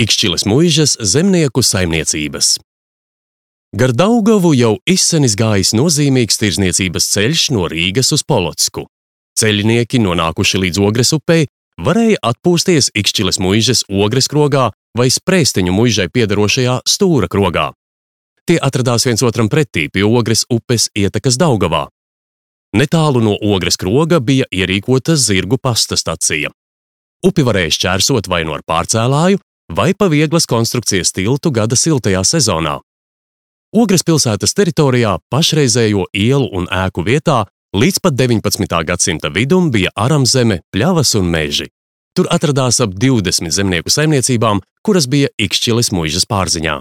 Ikšķiles muižas zemnieku saimniecības. Gar Daugavu jau izsenis gājis nozīmīgs tirzniecības ceļš no Rīgas uz Polotsku. Ceļinieki, nonākuši līdz Ogres upei, varēja atpūsties Ikšķiles muižas Ogres krogā vai Sprēstiņu muižai piederošajā Stūra krogā. Tie atradās viens otram pretī pie Ogres upes ietekas Daugavā. Netālu no Ogres kroga bija ierīkota zirgu pasta stacija. Upi varēja šķērsot vai no ar pārcēlāju, vai pa vieglas konstrukcijas tiltu gada siltajā sezonā. Ogres pilsētas teritorijā pašreizējo ielu un ēku vietā līdz pat 19. gadsimta vidum bija aramzeme, pļavas un meži. Tur atradās ap 20 zemnieku saimniecībām, kuras bija Ikšķiles muižas pārziņā.